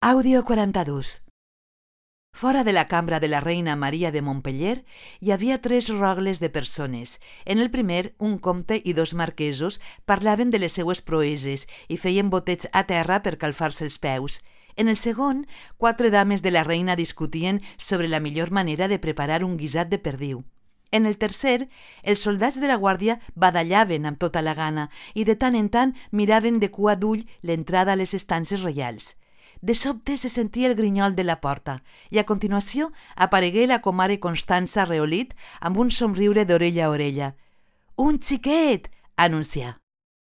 Àudio 42. Fora de la cambra de la reina Maria de Montpeller hi havia 3 rogles de persones. En el primer, un comte i 2 marquesos parlaven de les seues proeses i feien botets a terra per calfar-se els peus. En el segon, 4 dames de la reina discutien sobre la millor manera de preparar un guisat de perdiu. En el tercer, els soldats de la guàrdia badallaven amb tota la gana i de tant en tant miraven de cua d'ull l'entrada a les estances reials. De sobte se sentia el grinyol de la porta i a continuació aparegué la comare Constança Reolit amb un somriure d'orella a orella. «Un xiquet!», anuncià.